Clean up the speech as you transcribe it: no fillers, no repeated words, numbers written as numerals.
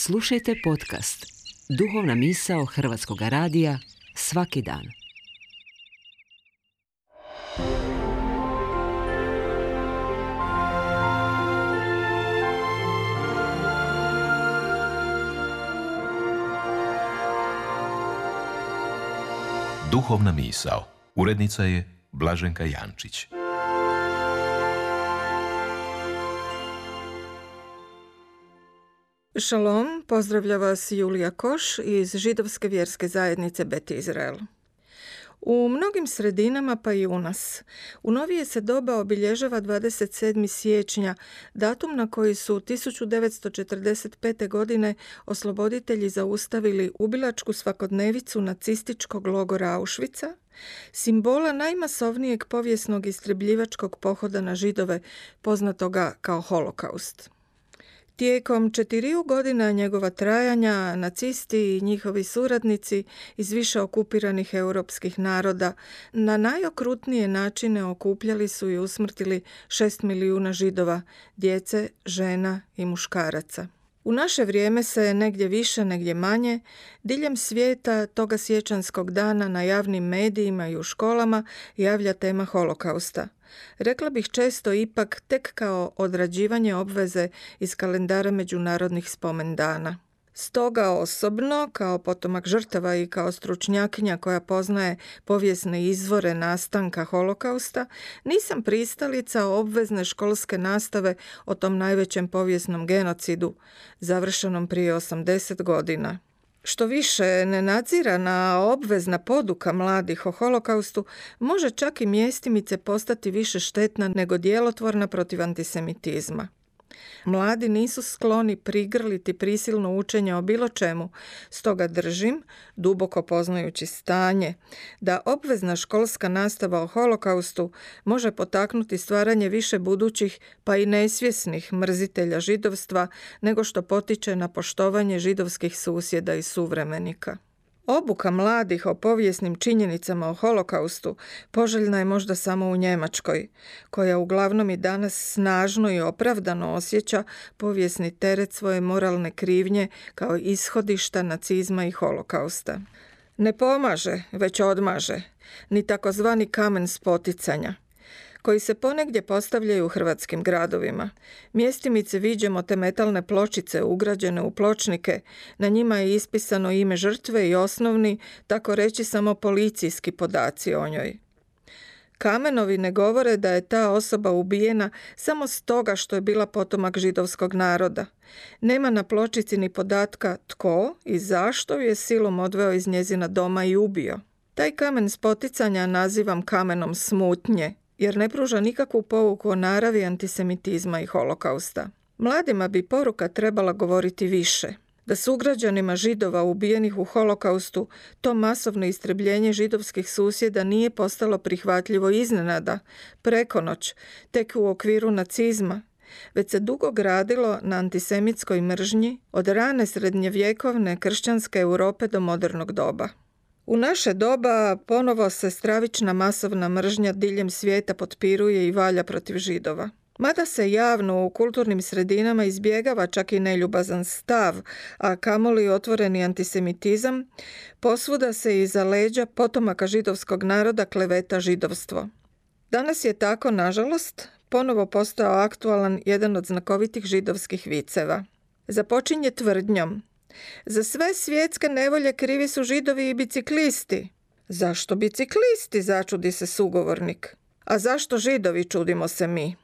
Slušajte podcast Duhovna misao Hrvatskog radija svaki dan. Duhovna misao. Urednica je Blaženka Jančić. Šalom, pozdravlja vas Julija Koš iz Židovske vjerske zajednice Bet Izrael. U mnogim sredinama, pa i u nas, u novije se doba obilježava 27. siječnja, datum na koji su 1945. godine osloboditelji zaustavili ubilačku svakodnevicu nacističkog logora Auschwitza, simbola najmasovnijeg povijesnog istrebljivačkog pohoda na Židove, poznatoga kao Holokaust. Tijekom 4 godina njegova trajanja, nacisti i njihovi suradnici iz više okupiranih europskih naroda na najokrutnije načine okupljali su i usmrtili 6 milijuna Židova, djece, žena i muškaraca. U naše vrijeme se negdje više, negdje manje, diljem svijeta toga siječanskog dana na javnim medijima i u školama javlja tema Holokausta. Rekla bih često ipak tek kao odrađivanje obveze iz kalendara međunarodnih spomendana. Stoga osobno, kao potomak žrtava i kao stručnjakinja koja poznaje povijesne izvore nastanka Holokausta, nisam pristalica obvezne školske nastave o tom najvećem povijesnom genocidu, završenom prije 80 godina. Što više, nenadzirana obvezna poduka mladih o Holokaustu može čak i mjestimice postati više štetna nego djelotvorna protiv antisemitizma. Mladi nisu skloni prigrliti prisilno učenje o bilo čemu, stoga držim, duboko poznajući stanje, da obvezna školska nastava o Holokaustu može potaknuti stvaranje više budućih, pa i nesvjesnih mrzitelja židovstva, nego što potiče na poštovanje židovskih susjeda i suvremenika. Obuka mladih o povijesnim činjenicama o Holokaustu poželjna je možda samo u Njemačkoj, koja uglavnom i danas snažno i opravdano osjeća povijesni teret svoje moralne krivnje kao ishodišta nacizma i Holokausta. Ne pomaže, već odmaže, ni takozvani kamen spoticanja, koji se ponegdje postavljaju u hrvatskim gradovima. Mjestimice viđemo te metalne pločice ugrađene u pločnike, na njima je ispisano ime žrtve i osnovni, tako reći samo policijski podaci o njoj. Kamenovi ne govore da je ta osoba ubijena samo stoga što je bila potomak židovskog naroda. Nema na pločici ni podatka tko i zašto ju je silom odveo iz njezina doma i ubio. Taj kamen spoticanja nazivam kamenom smutnje, jer ne pruža nikakvu pouku o naravi antisemitizma i Holokausta. Mladima bi poruka trebala govoriti više, da sugrađanima Židova ubijenih u Holokaustu to masovno istrebljenje židovskih susjeda nije postalo prihvatljivo iznenada, preko noć, tek u okviru nacizma, već se dugo gradilo na antisemitskoj mržnji od rane srednjevjekovne kršćanske Europe do modernog doba. U naše doba ponovo se stravična masovna mržnja diljem svijeta potpiruje i valja protiv Židova. Mada se javno u kulturnim sredinama izbjegava čak i neljubazan stav, a kamoli otvoreni antisemitizam, posvuda se iza leđa potomaka židovskog naroda kleveta židovstvo. Danas je tako, nažalost, ponovo postao aktualan jedan od znakovitih židovskih viceva. Započinje tvrdnjom: za sve svjetske nevolje krivi su Židovi i biciklisti. Zašto biciklisti, začudi se sugovornik. A zašto Židovi, čudimo se mi.